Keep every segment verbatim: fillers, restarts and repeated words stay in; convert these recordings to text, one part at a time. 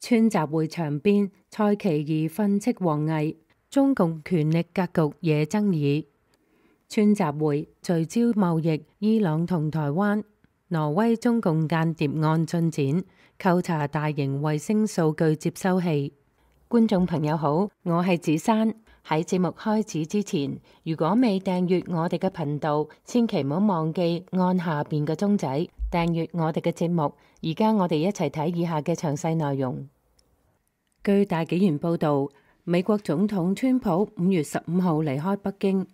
川習會場邊，蔡奇疑訓斥王毅，中共權力格局惹爭議。川習會聚焦貿易、伊朗同台灣、挪威中共間諜案進展、扣查大型衛星數據接收器。觀眾朋友好，我係子珊。喺節目開始之前，如果未訂閱我哋嘅頻道，千祈唔好忘記按下邊嘅鐘仔訂閱我哋嘅節目。而家我哋一齊睇以下嘅詳細內容。據大紀元報導，美國總統川普五月十五號離開北京，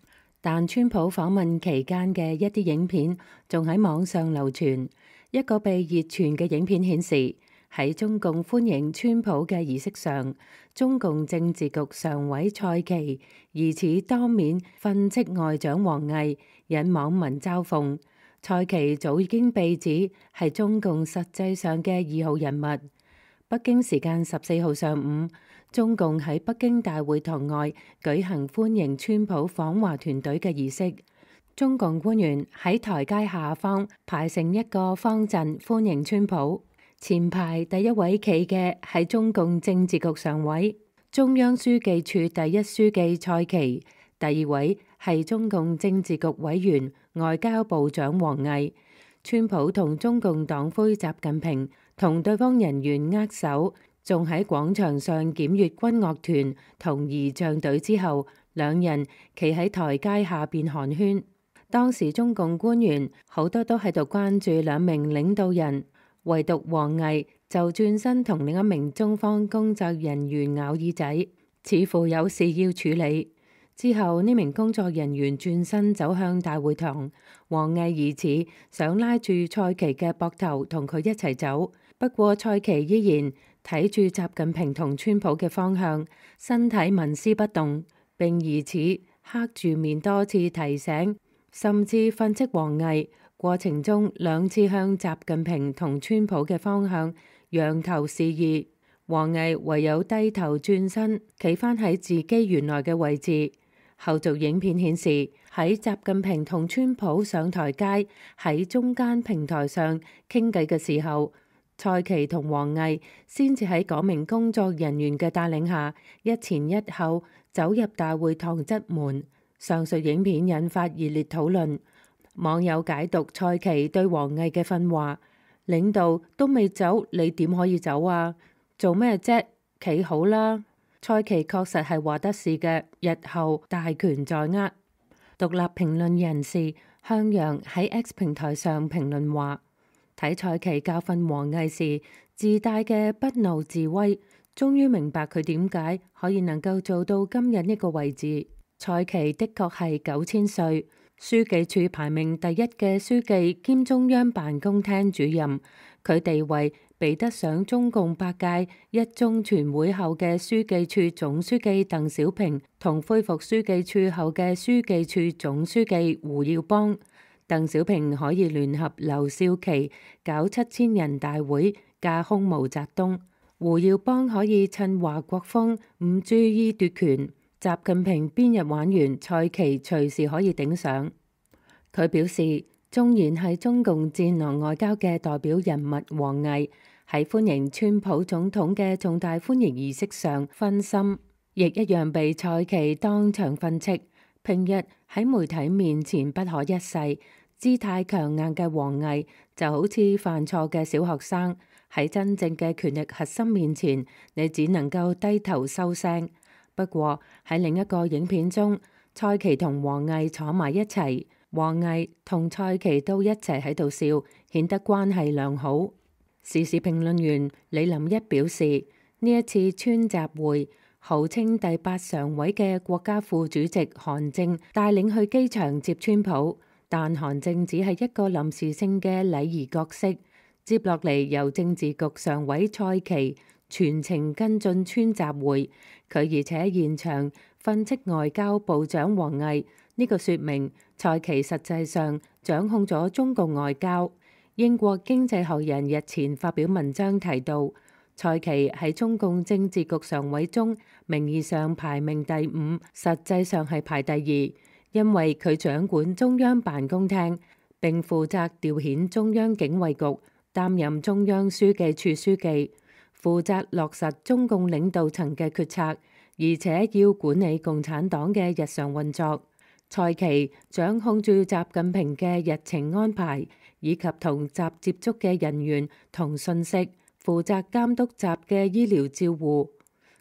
但川普訪問期間嘅一啲影片仲喺網上流傳。一個被熱傳嘅影片顯示，喺中共歡迎川普嘅儀式上，中共政治局常委蔡奇疑似當面訓斥外長王毅，引網民嘲諷。蔡奇早已經被指係中共實際上嘅二號人物。北京時間十四號上午，中共喺北京大會堂外舉行歡迎川普訪華團隊嘅儀式。中共官員喺台階下方排成一個方陣歡迎川普。前排第一位企嘅係中共政治局常委、中央書記處第一書記蔡奇，第二位係中共政治局委員、外交部長王毅。川普同中共黨魁習近平同對方人員握手，仲喺廣場上檢閱軍樂團同儀仗隊之後，兩人企喺台階下邊寒暄。當時中共官員好多都喺度關注兩名領導人，唯獨王毅就轉身同另一名中方工作人員咬耳仔，似乎有事要處理。之後呢名工作人員轉身走向大會堂，王毅疑似想拉住蔡奇嘅膊頭同佢一齊走，不過蔡奇依然睇住習近平同川普嘅方向，身體紋絲不動，並疑似黑住面多次提醒，甚至訓斥王毅。過程中兩次向習近平同川普嘅方向揚頭示意，王毅唯有低頭轉身，企返喺自己原來嘅位置。後續影片顯示，喺習近平同川普上台階喺中間平台上傾偈嘅時候，蔡奇同王毅先至喺嗰名工作人員嘅帶領下一前一後走入大會堂側門。上述影片引發熱烈討論，網友解讀蔡奇對王毅嘅訓話：領導都未走，你點可以走啊？做咩啫？企好啦！蔡奇確實係話得事嘅，日後大權在握。獨立評論人士向陽喺 X 平台上評論話：睇蔡奇教訓王毅時自帶嘅不怒自威，終於明白佢點解可以能夠做到今日呢個位置。蔡奇的確係九千歲，書記處排名第一嘅書記兼中央辦公廳主任，佢地位比得上中共八屆一中全會後嘅書記處總書記鄧小平同恢復書記處後嘅書記處總書記胡耀邦。鄧小平可以聯合劉少奇搞七千人大會架空毛澤東，胡耀邦可以趁華國鋒唔注意奪權，習近平邊日玩完，蔡奇隨時可以頂上。佢表示，縱然係中共戰狼外交嘅代表人物王毅喺歡迎川普總統嘅重大歡迎儀式上分心，亦一樣被蔡奇當場訓斥。平日喺媒體面前不可一世、姿態強硬嘅王毅，就好似犯錯嘅小學生，喺真正嘅權力核心面前，你只能夠低頭收聲。不過喺另一個影片中，蔡奇同王毅坐埋一齊，王毅同蔡奇都一齊喺度笑，顯得關係良好。時事評論員李林一表示，呢一次川習會，號稱第八常委嘅國家副主席韓正帶領去機場接川普，但韓正只係一個臨時性嘅禮儀角色。接落嚟由政治局常委蔡奇全程跟進川習會，佢而且現場訓斥外交部長王毅，呢、這個說明蔡奇實際上掌控咗中共外交。英國經濟學人日前發表文章提到，蔡奇喺中共政治局常委中名義上排名第五，實際上係排第二，因為佢掌管中央辦公廳，並負責調遣中央警衛局，擔任中央書記處書記。負責落實中共領導層嘅決策，而且要管理共產黨嘅日常運作。蔡奇掌控住習近平嘅日程安排，以及同習接觸嘅人員同信息，負責監督習嘅醫療照護。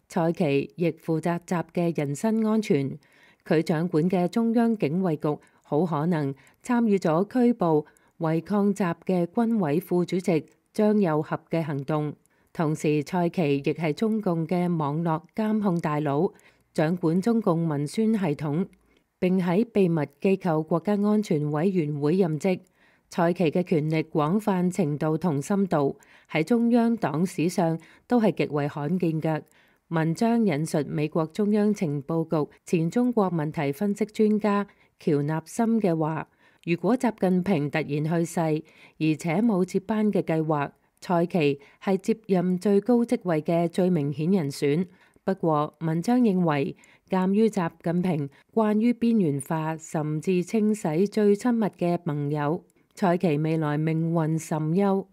蔡奇亦負責習嘅人身安全。佢掌管嘅中央警衛局好可能參與咗拘捕違抗習嘅軍委副主席張又俠嘅行動。同時，蔡奇亦係中共嘅網絡監控大佬，掌管中共文宣系統，並喺秘密機構國家安全委員會任職。蔡奇嘅權力廣泛程度同深度喺中央黨史上都係極為罕見嘅。文章引述美國中央情報局前中國問題分析專家喬納森嘅話：如果習近平突然去世，而且冇接班嘅計劃，蔡奇係接任最高職位嘅最明顯人選。不過，文章認為，鑑於習近平慣於邊緣化甚至清洗最親密嘅盟友，蔡奇未來命運甚憂。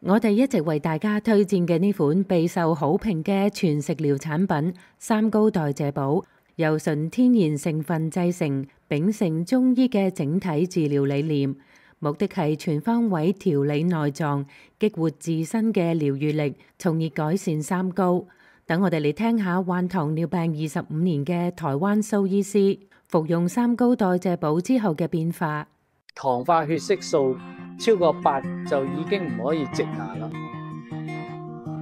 我哋一直為大家推薦嘅呢款備受好評嘅全食療產品三高代謝寶，由純天然成分製成，秉承中醫嘅整體治療理念，目的係全方位調理內臟，激活自身嘅療癒力，從而改善三高。等我哋嚟聽下患糖尿病二十五年嘅台灣蘇醫師服用三高代謝寶之後嘅變化。糖化血色素超過八就已經唔可以植牙啦，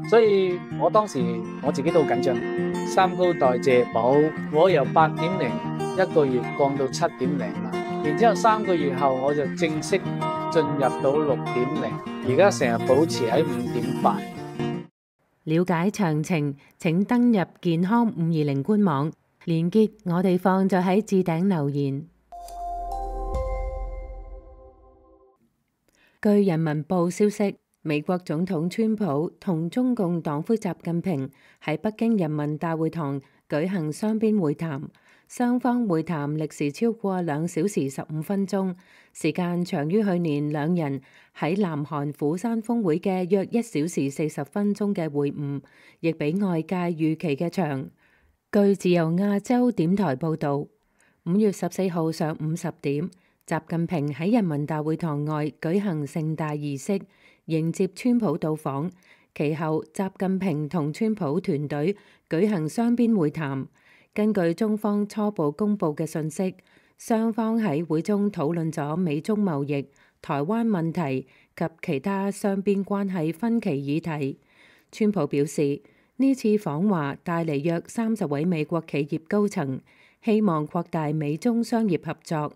所以我當時我自己都好緊張。三高代謝寶我由八點零一個月降到七點零啦，然之後三個月後我就正式進入到六點零，而家成日保持喺五點八。了解詳情請登入健康五二零官網，連結我哋放咗喺置頂留言。據人民報消息，美國總統川普同中共黨魁習近平喺北京人民大會堂舉行雙邊會談，雙方會談歷時超過兩小時十五分鐘，時間長於去年兩人喺南韓釜山峰會嘅約一小時四十分鐘嘅會晤，亦比外界預期嘅長。據自由亞洲點台報導，五月十四號上午十點，習近平喺人民大會堂外舉行盛大儀式，迎接川普到訪。其後，習近平同川普團隊舉行雙邊會談。根據中方初步公佈嘅信息，雙方喺會中討論咗美中貿易、台灣問題及其他雙邊關係分歧議題。川普表示，呢次訪華帶嚟約三十位美國企業高層，希望擴大美中商業合作。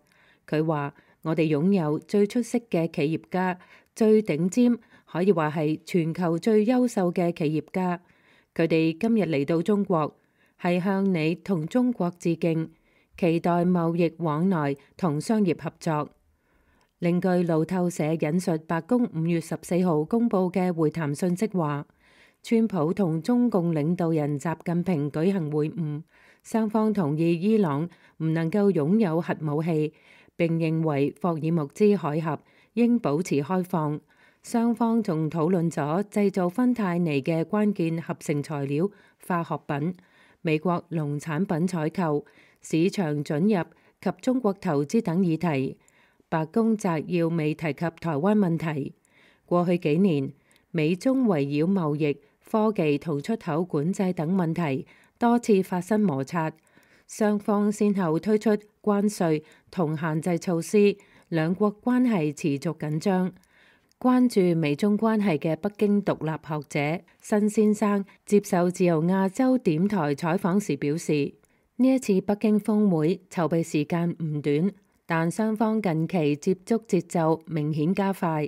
佢話：我哋擁有最出色嘅企業家，最頂尖，可以話係全球最優秀嘅企業家。佢哋今日嚟到中國，係向你同中國致敬，期待貿易往來同商業合作。另據路透社引述白宮五月十四號公佈嘅會談信息話，川普同中共領導人習近平舉行會晤，雙方同意伊朗唔能夠擁有核武器。並認為霍爾木茲海峽應保持開放。雙方仲討論咗製造芬太尼嘅關鍵合成材料化學品、美國農產品採購、市場准入及中國投資等議題。白宮摘要未提及台灣問題。過去幾年，美中圍繞貿易、科技同出口管制等問題多次發生摩擦。雙方先後推出關稅同限制措施，兩國關係持續緊張。關注美中關係嘅北京獨立學者辛先生接受自由亞洲點台採訪時表示，呢一次北京峰會籌備時間唔短，但雙方近期接觸節奏明顯加快。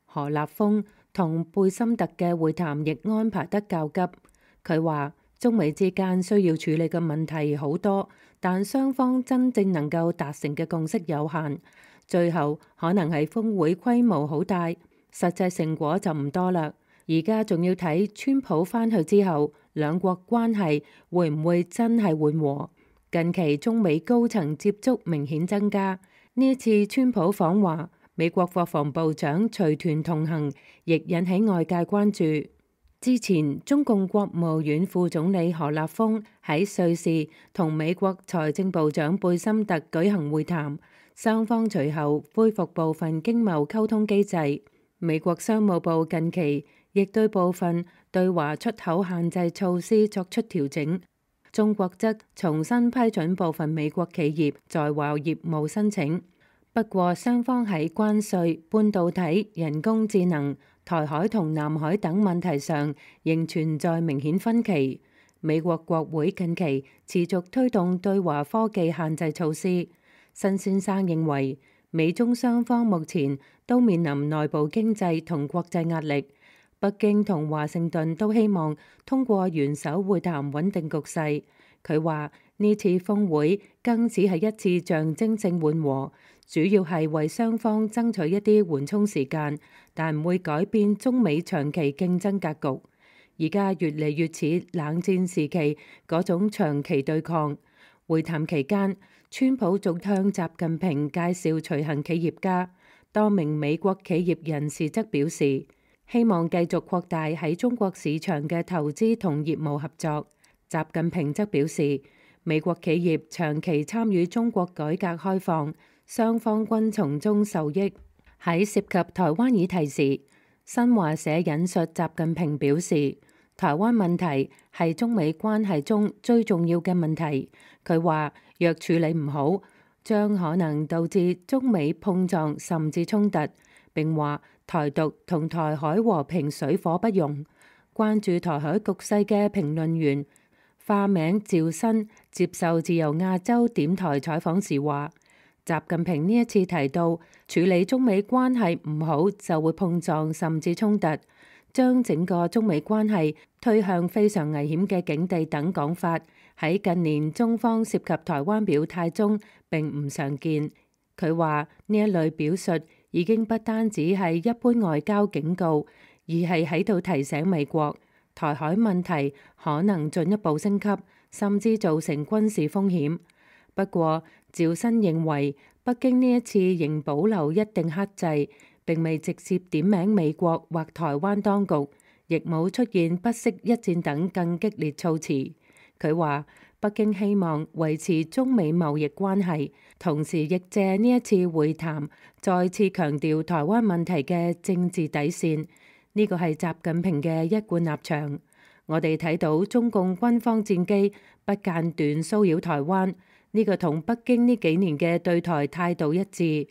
何立峰同貝森特嘅會談亦安排得較急。佢話，中美之間需要處理嘅問題好多，但雙方真正能夠達成嘅共識有限，最後可能係峰會規模好大，實際成果就唔多啦。而家仲要睇川普返去之後，兩國關係會唔會真係緩和？近期中美高層接觸明顯增加，呢一次川普訪華，美國國防部長隨團同行，亦引起外界關注。之前，中共國務院副總理何立峰喺瑞士同美國財政部長貝森特舉行會談，雙方隨後恢復部分經貿溝通機制。美國商務部近期亦對部分對華出口限制措施作出調整。中國則重新批准部分美國企業在華業務申請。不過，雙方喺關稅、半導體、人工智能、台海同南海等問題上仍存在明顯分歧。美國國會近期持續推動對華科技限制措施。辛先生認為，美中雙方目前都面臨內部經濟同國際壓力。北京同華盛頓都希望通過元首會談穩定局勢。佢話呢次峰會更只係一次象徵性緩和，主要係為雙方爭取一啲緩衝時間，但唔會改變中美長期競爭格局。而家越嚟越似冷戰時期嗰種長期對抗。會談期間，川普仲向習近平介紹隨行企業家，多名美國企業人士則表示希望繼續擴大喺中國市場嘅投資同業務合作。習近平則表示，美國企業長期參與中國改革開放，雙方均從中受益。喺涉及台灣議題時，新華社引述習近平表示，台灣問題係中美關係中最重要嘅問題。佢話，若處理唔好，將可能導致中美碰撞甚至衝突。並話台獨同台海和平水火不容。關注台海局勢嘅評論員化名趙新接受自由亞洲點台採訪時話，習近平呢一次提到處理中美關係唔好就會碰撞甚至衝突，將整個中美關係推向非常危險嘅境地等講法，喺近年中方涉及台灣表態中並唔常見。佢話呢一類表述已經不單止係一般外交警告，而係喺度提醒美國，台海問題可能進一步升級，甚至造成軍事風險。不過，趙新認為北京呢一次仍保留一定克制，並未直接點名美國或台灣當局，亦冇出現不惜一戰等更激烈措辭。佢話北京希望維持中美貿易關係，同時亦借呢一次會談再次強調台灣問題嘅政治底線。呢個係習近平嘅一貫立場。我哋睇到中共軍方戰機不間斷騷擾台灣，呢個同北京呢幾年嘅對台態度一致。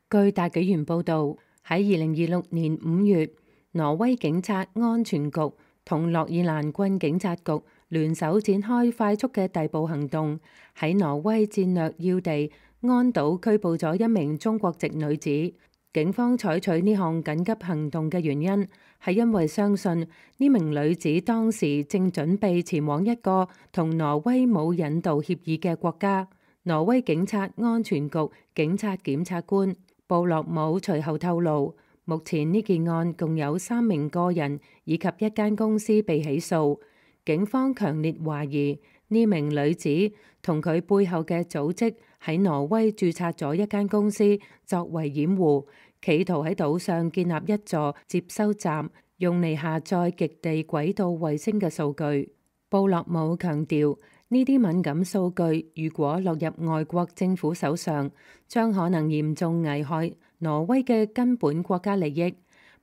據大紀元報導，喺二零二六年五月，挪威警察安全局同諾爾蘭郡警察局聯手展開快速嘅逮捕行動，喺挪威戰略要地安島拘捕咗一名中國籍女子。警方採取呢項緊急行動嘅原因係因為相信呢名女子當時正準備前往一個同挪威冇引渡協議嘅國家。挪威警察安全局警察檢察官布洛姆隨後透露，目前呢件案共有三名個人以及一間公司被起訴。警方強烈懷疑呢名女子同佢背後嘅組織喺挪威註冊咗一間公司作為掩護，企圖喺島上建立一座接收站，用嚟下載極地軌道衛星嘅數據。布洛姆強調，呢啲敏感數據如果落入外國政府手上，將可能嚴重危害挪威嘅根本國家利益。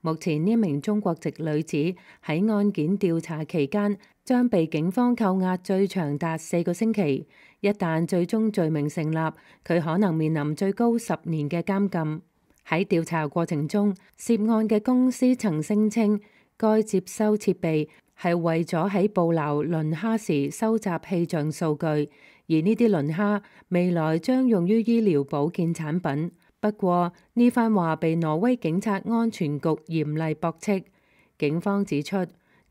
目前呢名中國籍女子喺案件調查期間將被警方扣押最長達四個星期，一旦最終罪名成立，佢可能面臨最高十年嘅監禁。喺調查過程中，涉案嘅公司曾聲稱該接收設備係為咗喺捕撈磷蝦時收集氣象數據，而呢啲磷蝦未來將用於醫療保健產品。不過呢番話被挪威警察安全局嚴厲駁斥。警方指出，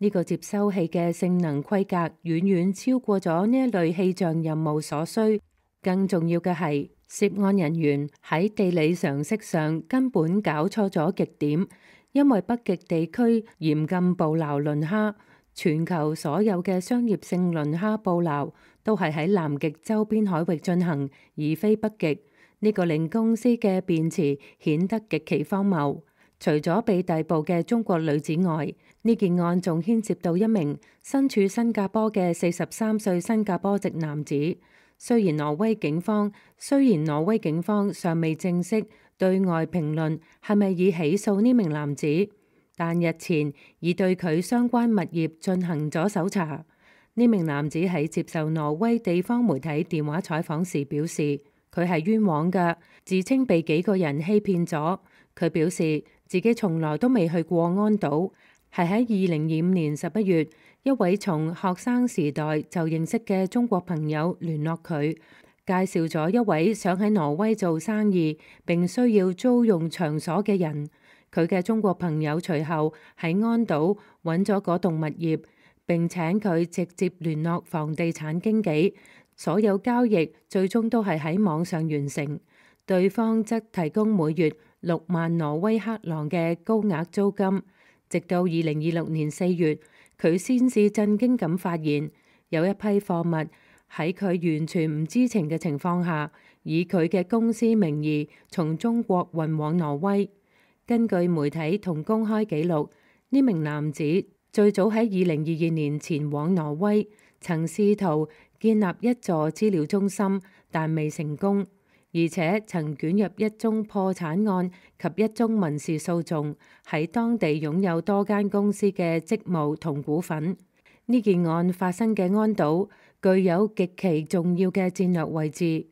呢個接收器嘅性能規格遠遠超過咗呢一類氣象任務所需。更重要嘅係，涉案人員喺地理常識上根本搞錯咗極點，因為北極地區嚴禁捕撈磷蝦，全球所有嘅商業性磷蝦捕撈都係喺南極周邊海域進行，而非北極。呢個令公司嘅辯詞顯得極其荒謬。除咗被逮捕嘅中國女子外，呢件案仲牽涉到一名身處新加坡嘅四十三歲新加坡籍男子。雖然挪威警方雖然挪威警方尚未正式對外評論係咪已起訴呢名男子，但日前已對佢相關物業進行咗搜查。呢名男子喺接受挪威地方媒體電話採訪時表示，佢係冤枉㗎，自稱被幾個人欺騙咗。佢表示自己從來都未去過安島，係喺二零二五年十一月，一位從學生時代就認識嘅中國朋友聯絡佢，介紹咗一位想喺挪威做生意並需要租用場所嘅人。佢嘅中國朋友隨後喺安島揾咗嗰棟物業，並請佢直接聯絡房地產經紀，所有交易最終都係喺網上完成。對方則提供每月六萬挪威克朗嘅高額租金。直到二零二六年四月，佢先至震驚咁發現有一批貨物喺佢完全唔知情嘅情況下，以佢嘅公司名義從中國運往挪威。根據媒體同公開記錄，呢名男子最早喺二零二二年前往挪威，曾試圖建立一座資料中心，但未成功，而且曾捲入一宗破產案及一宗民事訴訟，喺當地擁有多間公司嘅職務同股份。呢件案發生嘅安島具有極其重要嘅戰略位置。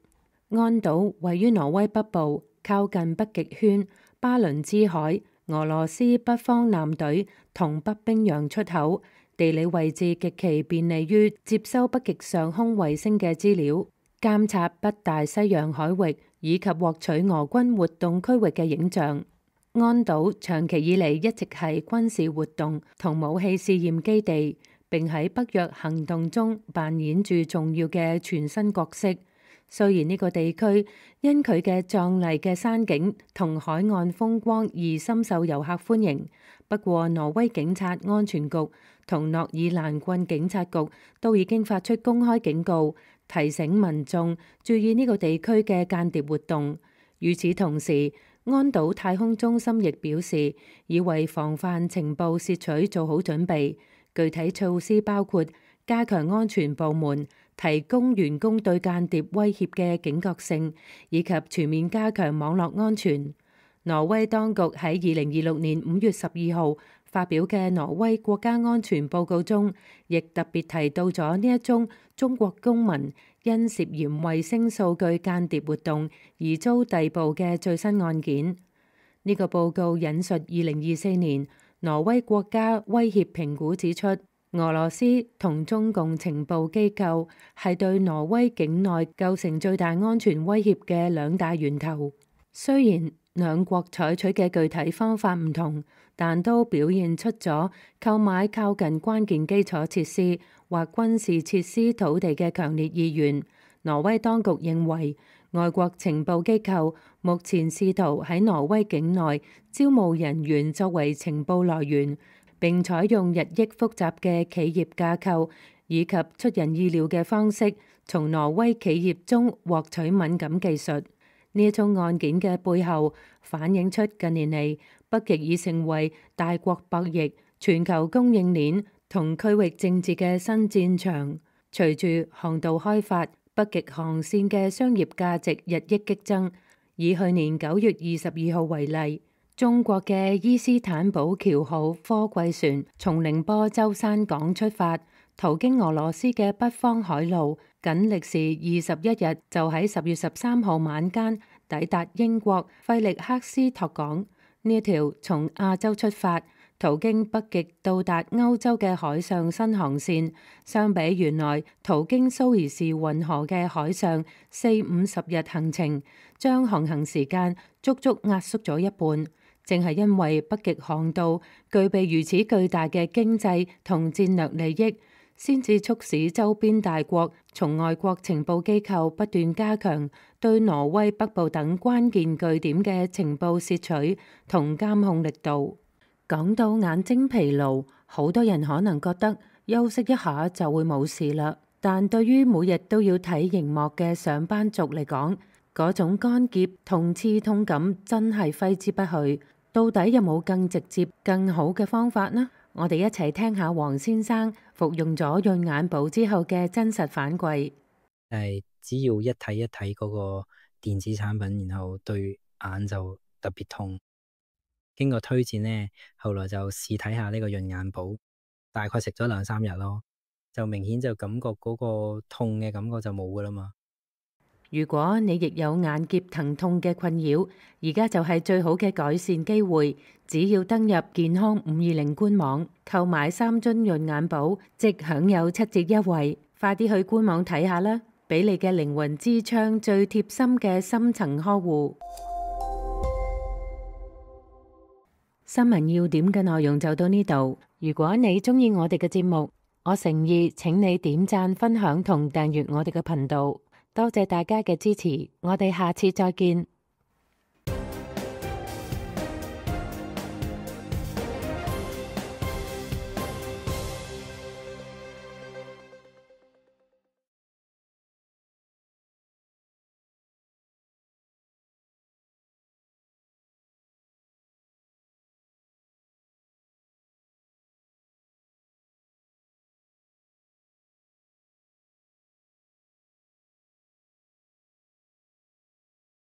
安島位於挪威北部，靠近北極圈、巴倫支海、俄羅斯北方艦隊同北冰洋出口，地理位置極其便利於接收北極上空衛星嘅資料，監察北大西洋海域以及獲取俄軍活動區域嘅影像。安島長期以嚟一直係軍事活動同武器試驗基地，並喺北約行動中扮演住重要嘅全新角色。雖然呢個地區因佢嘅壯麗嘅山景同海岸風光而深受遊客歡迎，不過挪威警察安全局同諾爾蘭郡警察局都已經發出公開警告，提醒民眾注意呢個地區嘅間諜活動。與此同時，安島太空中心亦表示，已為防範情報竊取做好準備。具體措施包括加強安全部門提供員工對間諜威脅嘅警覺性，以及全面加強網絡安全。挪威當局喺二零二六年五月十二號發表嘅挪威國家安全報告中，亦特別提到咗呢一宗中國公民因涉嫌衛星數據間諜活動而遭逮捕嘅最新案件。呢、這個報告引述二零二四年挪威國家威脅評估指出，俄羅斯同中共情報機構係對挪威境內構成最大安全威脅嘅兩大源頭。雖然兩國採取嘅具體方法唔同，但都表現出咗購買靠近關鍵基礎設施或軍事設施土地嘅強烈意願。挪威當局認為，外國情報機構目前試圖喺挪威境內招募人員作為情報來源，並採用日益複雜嘅企業架構以及出人意料嘅方式，從挪威企業中獲取敏感技術。呢一宗案件嘅背後，反映出近年嚟北極已成為大國博弈、全球供應鏈同區域政治嘅新戰場。隨住航道開發，北極航線嘅商業價值日益激增。以去年九月二十二號為例，中國嘅伊斯坦堡橋號貨櫃船從寧波舟山港出發，途經俄羅斯嘅北方海路，僅歷時二十一日，就喺十月十三號晚間抵達英國費力克斯托港。呢一條從亞洲出發，途經北極到達歐洲嘅海上新航線，相比原來途經蘇伊士運河嘅海上四五十日行程，將航行時間足足壓縮咗一半。正係因為北極航道具備如此巨大嘅經濟同戰略利益，先至促使周邊大國從外國情報機構不斷加強對挪威北部等關鍵據點嘅情報竊取同監控力度。講到眼睛疲勞，好多人可能覺得休息一下就會冇事啦，但對於每日都要睇熒幕嘅上班族嚟講，嗰種乾澀同刺痛感真係揮之不去。到底有冇更直接、更好嘅方法呢？我哋一齊聽下黃先生服用咗潤眼寶之後嘅真實反饋。係只要一睇一睇嗰個電子產品，然後對眼就特別痛。經過推薦呢，後來就試睇下呢個潤眼寶，大概食咗兩三日咯，就明顯就感覺嗰個痛嘅感覺就冇噶啦嘛。如果你亦有眼澀疼痛嘅困擾，而家就係最好嘅改善機會。只要登入健康五二零官網購買三樽潤眼寶，即享有七折優惠。快啲去官網睇下啦，俾你嘅靈魂之窗最貼心嘅深層呵護。新聞要點嘅內容就到呢度。如果你鍾意我哋嘅節目，我誠意請你點讚、分享同訂閱我哋嘅頻道。多謝大家嘅支持，我哋下次再見。